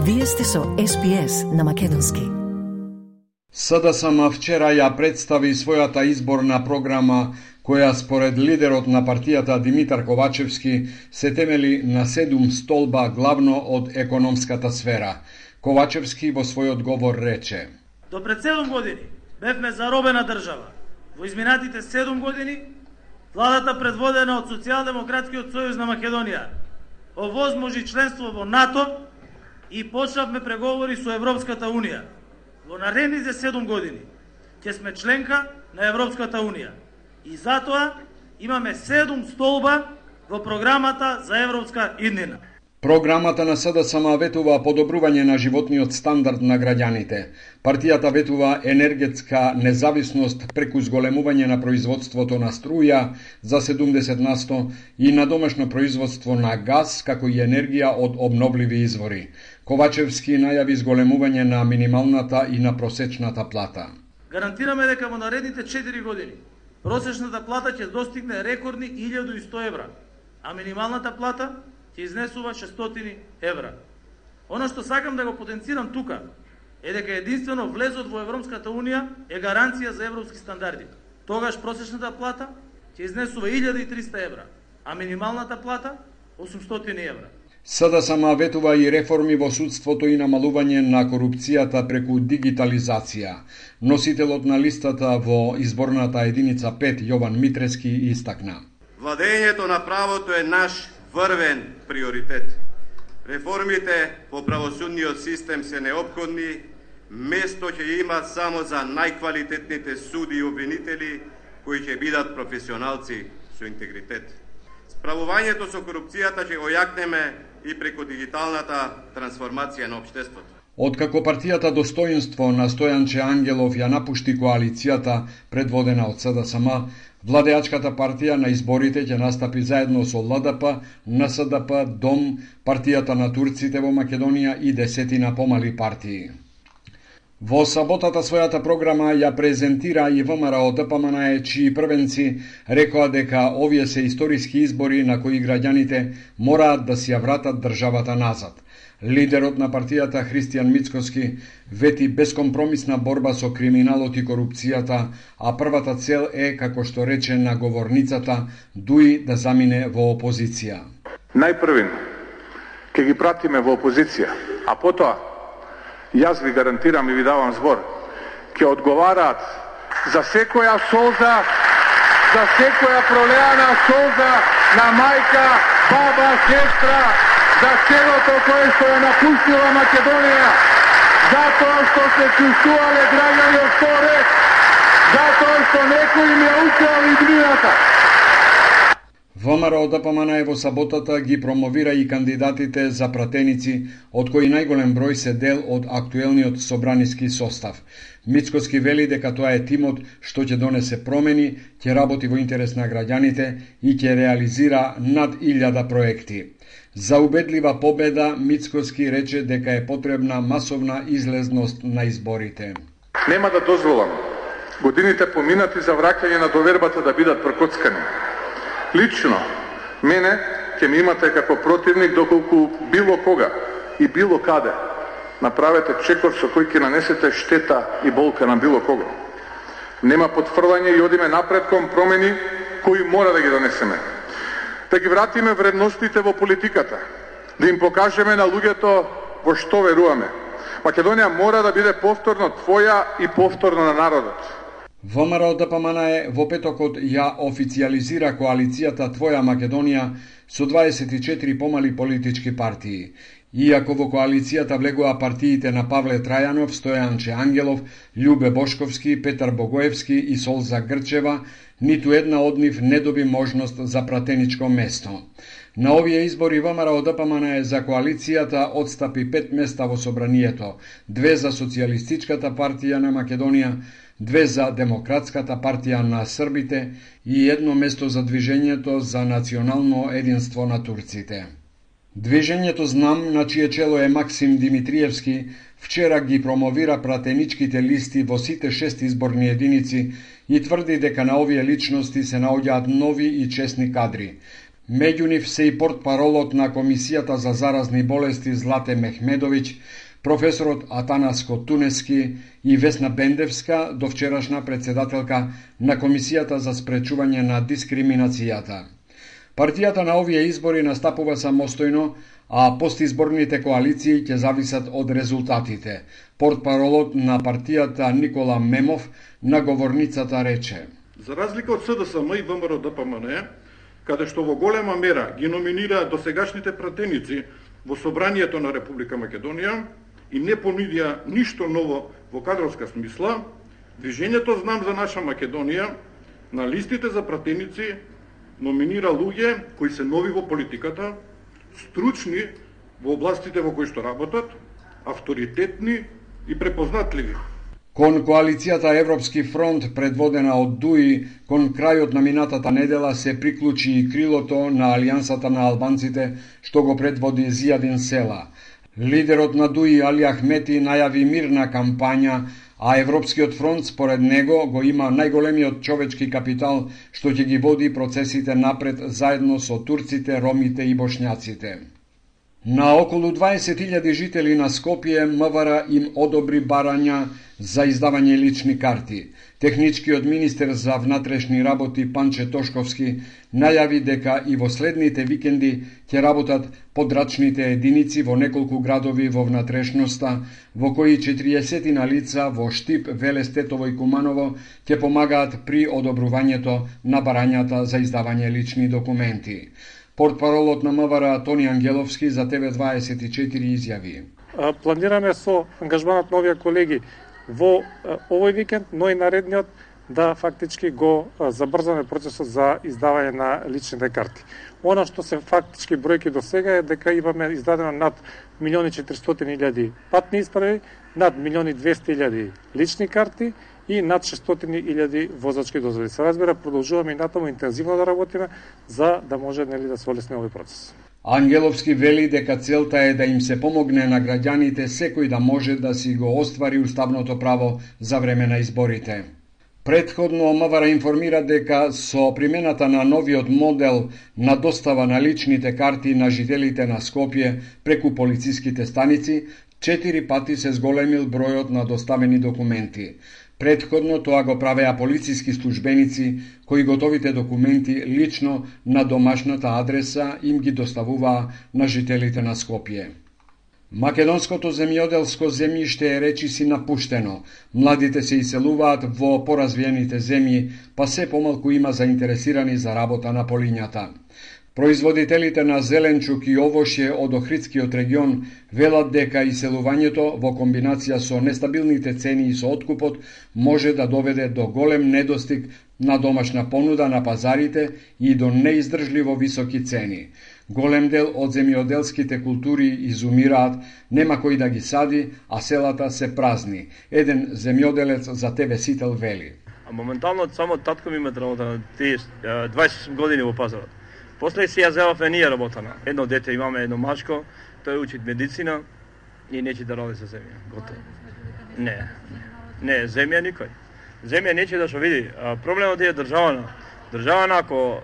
Вие сте со SPS на македонски. СДСМ вчера ја представи својата изборна програма, која според лидерот на партијата Димитар Ковачевски се темели на 7 столба главно од економската сфера. Ковачевски во својот говор рече: До пред 7 години бевме заробена држава. Во изминатите 7 години владата предводена од Социјалдемократскиот сојуз на Македонија овозможи членство во НАТО и почнавме преговори со Европската Унија. Во наредните 7 години ќе сме членка на Европската Унија и затоа имаме 7 столба во програмата за европска иднина. Програмата на СДСМ ветува подобрување на животниот стандард на граѓаните. Партијата ветува енергетска независност преку зголемување на производството на струја за 70% и на домашно производство на газ, како и енергија од обновливи извори. Ковачевски најави зголемување на минималната и на просечната плата. Гарантираме дека во наредните 4 години просечната плата ќе достигне рекордни 1100 евра, а минималната плата ќе изнесува 600 евра. Оно што сакам да го потенцирам тука е дека единствено влезот во Европската Унија е гаранција за европски стандарди. Тогаш просечната плата ќе изнесува 1300 евра, а минималната плата 800 евра. СДСМ ветува и реформи во судството и намалување на корупцијата преку дигитализација. Носителот на листата во изборната единица 5 Јован Митрески истакна: Владењето на правото е наш врвен приоритет. Реформите во правосудниот систем се неопходни, место ќе има само за најквалитетните суди и обвинители кои ќе бидат професионалци со интегритет. Справувањето со корупцијата ќе го јакнеме и преку дигиталната трансформација на општеството. Откако партијата Достоинство на Стојанче Ангелов ја напушти коалицијата предводена од СДСМ, владеачката партија на изборите ќе настапи заедно со ЛДП, НСДП, ДОМ, партијата на турците во Македонија и 10 помали партии. Во саботата својата програма ја презентира и ВМРО ДПМН, чии првенци рекоа дека овие се историски избори на кои граѓаните мораат да си ја вратат државата назад. Лидерот на партијата Христијан Мицкоски вети бескомпромисна борба со криминалот и корупцијата, а првата цел е, како што рече на говорницата, дуи да замине во опозиција. Најпрвин ќе ги пратиме во опозиција, а потоа јас ви гарантирам и ви давам збор, ќе одговараат за секоја солза, за секоја пролеана солза на мајка, баба, сестра, за селото кое што е напустила Македонија, затоа што се чувствувале граѓани од поред, затоа што некој им ја украл иднината. ВМРО ДПМН во саботата ги промовира и кандидатите за пратеници, од кои најголем број се дел од актуелниот собраниски состав. Мицкоски вели дека тоа е тимот што ќе донесе промени, ќе работи во интерес на граѓаните и ќе реализира над 1000 проекти. За убедлива победа, Мицкоски рече дека е потребна масовна излезност на изборите. Нема да дозволам годините поминати за враќање на довербата да бидат прокоцкани. Лично, мене ќе ми имате како противник доколку било кога и било каде направете чекор со кој ќе нанесете штета и болка на било кого. Нема потврдање и одиме напред кон промени кои мора да ги донесеме. Да ги вратиме вредностите во политиката, да им покажеме на луѓето во што веруваме. Македонија мора да биде повторно твоја и повторно на народот. ВМРО ДПМН во петокот ја официализира коалицијата Твоја Македонија со 24 помали политички партии. Иако во коалицијата влегува партиите на Павле Трајанов, Стојанче Ангелов, Љубе Бошковски, Петар Богоевски и Солза Грчева, ниту една од нив не доби можност за пратеничко место. На овие избори ВМРО ДПМН за коалицијата отстапи 5 места во собранието, 2 за Социјалистичката партија на Македонија, 2 за Демократската партија на Србите и 1 место за Движењето за национално единство на турците. Движењето Знам, на чие чело е Максим Димитриевски, вчера ги промовира пратеничките листи во сите 6 изборни единици и тврди дека на овие личности се наоѓаат нови и честни кадри. Меѓу нив се и портпаролот на Комисијата за заразни болести Злате Мехмедовиќ, професорот Атанаско Тунески и Весна Бендевска, довчерашна председателка на Комисијата за спречување на дискриминацијата. Партијата на овие избори настапува самостојно, а постизборните коалиции ќе зависат од резултатите. Портпаролот на партијата Никола Мемов на говорницата рече: За разлика од СДСМ и ВМРО-ДПМН, каде што во голема мера ги номинираа досегашните пратеници во Собранието на Република Македонија и не понудија ништо ново во кадровска смисла, Движењето Знам за наша Македонија на листите за пратеници номинира луѓе кои се нови во политиката, стручни во областите во кои што работат, авторитетни и препознатливи. Кон коалицијата Европски фронт, предводена од ДУИ, кон крајот на минатата недела се приклучи и крилото на Алијансата на албанците, што го предводи Зијадин Села. Лидерот на ДУИ Али Ахмети најави мирна кампања, а Европскиот фронт според него го има најголемиот човечки капитал што ќе ги води процесите напред заедно со турците, ромите и бошњаците. На околу 20.000 жители на Скопје МВР им одобри барања за издавање лични карти. Техничкиот министер за внатрешни работи Панче Тошковски најави дека и во следните викенди ќе работат подрачните единици во неколку градови во внатрешноста, во кои 40 на лица во Штип, Велес, Тетово и Куманово ќе помагаат при одобрувањето на барањата за издавање лични документи. Портпаролот на МВР Тони Ангеловски за ТВ24 изјави: Планираме со ангажманот на овие колеги во овој викенд, но и наредниот, да фактички го забрзаме процесот за издавање на личните карти. Она што се фактички бројки до сега е дека имаме издадено над 1.400.000 патни исправи, над 1.200.000 лични карти и над 600.000 возачки дозволи. Се разбира, продолжуваме и натаму интензивно да работиме за да може да се олесни овој процес. Ангеловски вели дека целта е да им се помогне на граѓаните секој да може да си го оствари уставното право за време на изборите. Претходно МВР информира дека со примената на новиот модел на достава на личните карти на жителите на Скопје преку полициските станици, 4 пати се зголемил бројот на доставени документи. Претходно тоа го правеа полициски службеници кои готовите документи лично на домашната адреса им ги доставуваа на жителите на Скопје. Македонското земјоделско земјиште е речиси напуштено. Младите се иселуваат во поразвиените земји, па се помалку има заинтересирани за работа на полињата. Производителите на зеленчук и овошје од Охридскиот регион велат дека иселувањето во комбинација со нестабилните цени и со откупот може да доведе до голем недостиг на домашна понуда на пазарите и до неиздржливо високи цени. Голем дел од земјоделските култури изумираат, нема кој да ги сади, а селата се празни. Еден земјоделец за ТВ Сител вели: Моментално само татко ми има работа на 28 години во пазарот. После си ја земавме ние работана. Едно дете имаме, едно мачко, тој учи медицина и нече да ради со земја. Готово. Не, земја никој. Земја нече да што види. Проблемот е државана. Државана ако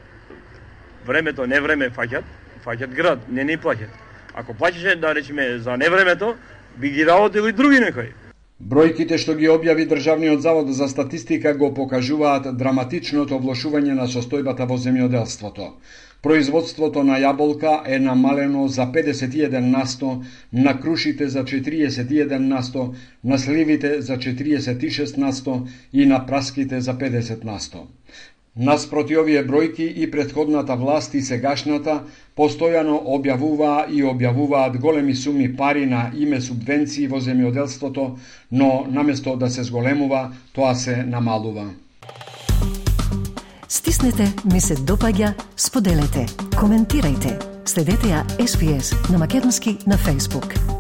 времето не време фаќат град, не ни плаќат. Ако плаќаше, да речеме, за невремето, би ги работили други некои. Бројките што ги објави Државниот завод за статистика го покажуваат драматичното влошување на состојбата во земјоделството. Производството на јаболка е намалено за 51%, на крушите за 41%, на сливите за 46% и на праските за 50%. Наспроти овие бројки и претходната власт и сегашната постојано објавуваат големи суми пари на име субвенции во земјоделството, но наместо да се зголемува, тоа се намалува. Стиснете, ми се допаѓа, споделете, коментирајте. Следете ја SPS на Македонски на Facebook.